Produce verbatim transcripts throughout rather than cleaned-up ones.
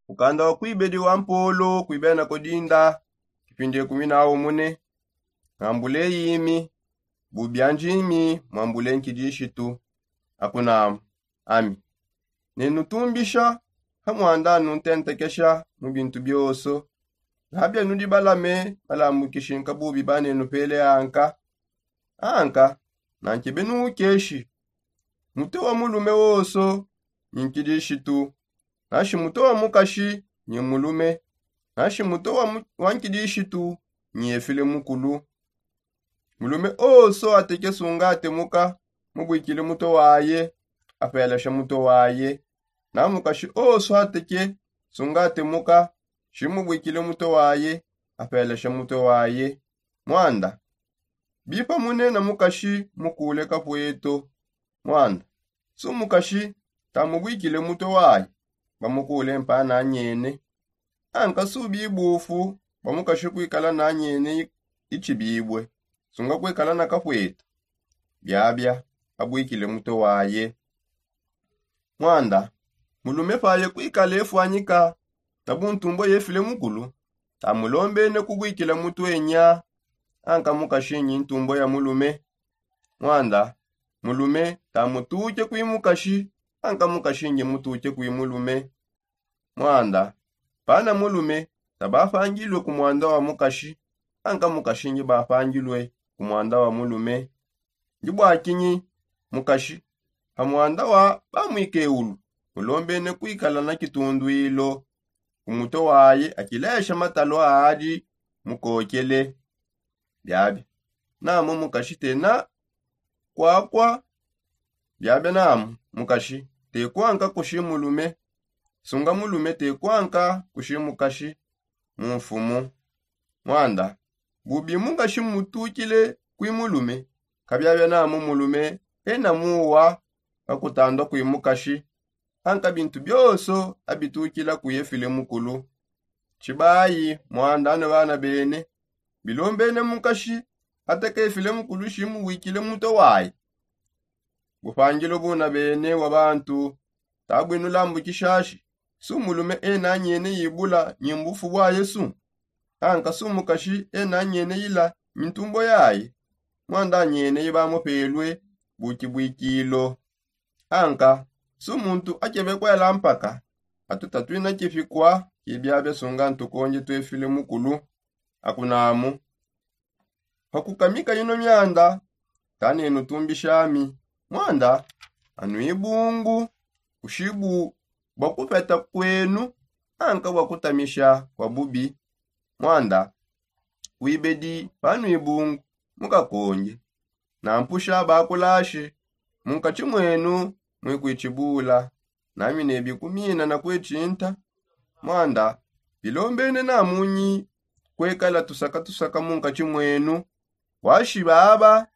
Mukanda wa kuibedi wa mpolo kuibena kodinda kipindi ekumi na umune. Ngambule imi bubianjimi mwambule nkidishitu. Akunamu ami nenutumbisha ha mwanda nuntentekesha mu bintu bioso. Ngabia nudi balame balambukishi nkabubi banenupele anka. Anka nankebe nuukeshi mutwe wa mulume woso nyi nkidishitu, nashi mutwe wa mukashi nyi mulume, nashi mutwe wa, mu- wa nkidishitu nyi efile mukulu. Mulume oso ateke sunga atemuka mubwikile mutwe waye, apelesha mutwe waye. Na mukashi oso ateke sunga atemuka shimubwikile mutwe waye, apelesha mutwe waye. Mwanda bipa munena mukashi mukule kapweto. Mwanda su mukashi tamubwikile mutwe waye, bamukule mpa nanyene. Anka su bibufu bamukashi kwikala nanyene ichibibwe, sunga kwikala na kapweto. Biabia abwikile mutwe waye. Mwanda mulume paye kwikala efwanyika na buntumbo yefile mukulu, tamulombene kubwikila mutwe nya. Anka mukashi nyi ntumbo ya mulume. Mwanda mulume tamutuke kwi mukashi, anka mukashi nyi mutuke kwi mulume. Mwanda pana mulume tabapangilwe ku mwanda wa mukashi, anka mukashi nyi bapangilwe ku mwanda wa mulume. Ndi bwakinyi mukashi pa mwanda wa bamwikeulu mulombene kwikala na kitundwilo ku mutwe waye akilesha matalo adi mukokele. Biabia namu mukashi tena kwakwa. Biabia namu mukashi tekwanka kushi mulume, sunga mulume tekwanka kushi mukashi mu mfumu. Mwanda bubi mukashi mutukile kwi mulume, kabiabia namu mulume ena muwa kakutandwa kwi mukashi. Anka bintu bioso abitukila kwi efile mukulu. Tshibayi mwanda ne bana bene bilombene mukashi ateke efile mukulu shimubwikile mutwe waye. Bupangilo buna bene wa bantu tabwinulambukishashi su mulume ena anyene yibula nyi mbufu bwa yesu. Anka su mukashi ena anyene yila mintumbo yaye mwanda anyene yibamupelwe bukibwikilo. Anka su muntu akebe kwela mpaka atu tatwina kipikwa kibiabia sunga ntukonje twefile mukulu. Akunamu pakukamika ino myanda tanenutumbishami. Mwanda anu ibungu kushibu bwa kupeta kwenu anka bwa kutamisha kwa bubi. Mwanda wibedi panu ibungu mukakonge nampusha bakulashi munkatshi mwenu mwikwitshibula nami nebikumina na kwitshinta. Mwanda bilombene namunyi kwekala tusaka tusaka munkatshi mwenu. Washi baba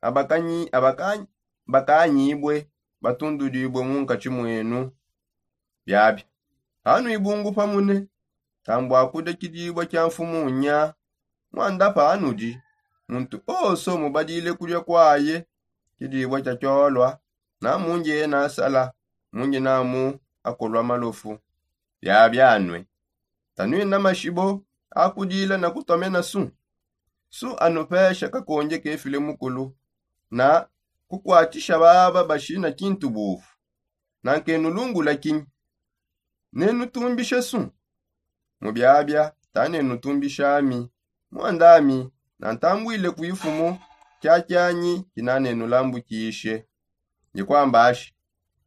abakanyi abakanyibwe batundudibwe munkatshi mwenu. Biabi hanu ibungu pamune tambwa kudia kidibwa kia mfumu nya. Mwanda panudi muntu oso mubadile kudia kwaye kidibwa kia kiolwa namungi ena asala mungi namu akolwa malofu. Biabi anue tanwina mashibo akudila na kutomena su su anupesha kakonge kefile mukulu na kukwatshisha baba bashina kintu bufu. Nankenulungula kinyi nenutumbishe su? Mu biabia tanenutumbishami mwandami nantambwile ku ifumu kiakianyi kinanenulambukishe. Ndikwambashi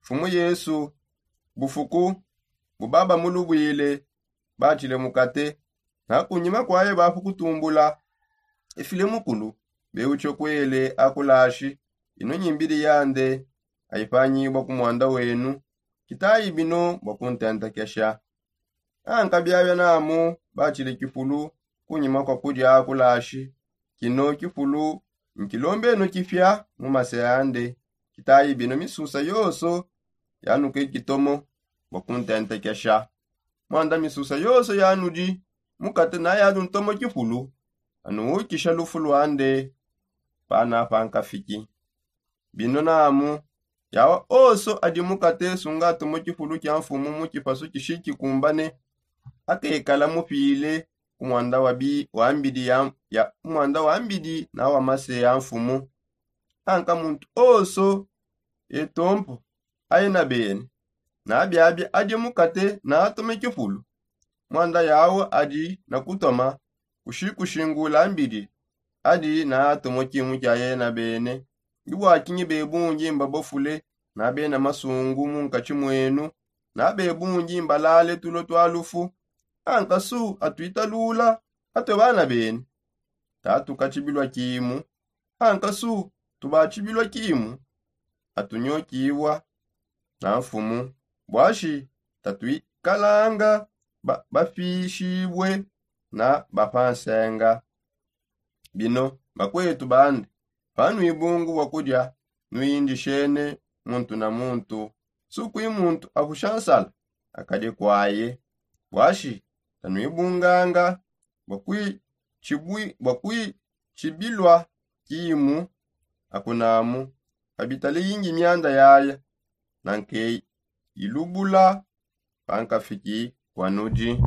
mfumu yesu bufuku bubaba mulubwile batshile mukate na kunyima kwaye bapu kutumbula ifile mukulu bewutshe kwele akulashi ino nyimbidi yande ayipanyibwa ku mwanda wenu. Kitayi bino bwa kuntentekesha anka biabia namu batshile kipulu kunyima kwa kudia akulashi. Kino kipulu nkilombenu kipia mu mase ande. Kitayi bino misusa yonso yanuke kitomo bwa kuntentekesha. Mwanda misusa yonso yanudi mukate na yanu ntomo kipulu anuwukisha lufu lwande. Pana pankafiki bino namu Yawa oso adi mukate sunga atomo kifulu kia nfumu mu kipasu kishikikumbane, akekala mupile ku mwanda wa mbidi ya ku mwanda wa mbidi na wa mase ya nfumu. Anka muntu oso etompo aye na bene na biabia adi mukate na atome kifulu. Mwanda yawo adi na kutoma kushikushingula mbidi adi na atomo kimu kia yena bene. Ndi bua kinyi bebungi mbabofule na bena masungu mu nkatshi mwenu, na bebungi mbalale tulo tua lufu? Anka su atuitalula atue bana bene, tatukatshibilua kimu. Anka su tubatshibilua kimu, atunyokibua na nfumu. Buashi tatuikalanga bapishibue na bapansenga. Bino bakuetu bandi, panuibungu bua kudia, nuindishene muntu na muntu. Sukui muntu apusha nsala akadi kuaye. Buashi tanuibunganga bua kuitshibilua kimu akunamu. Kabitale yingi mianda yaya na nkei ilubula pankafiki kua nudi.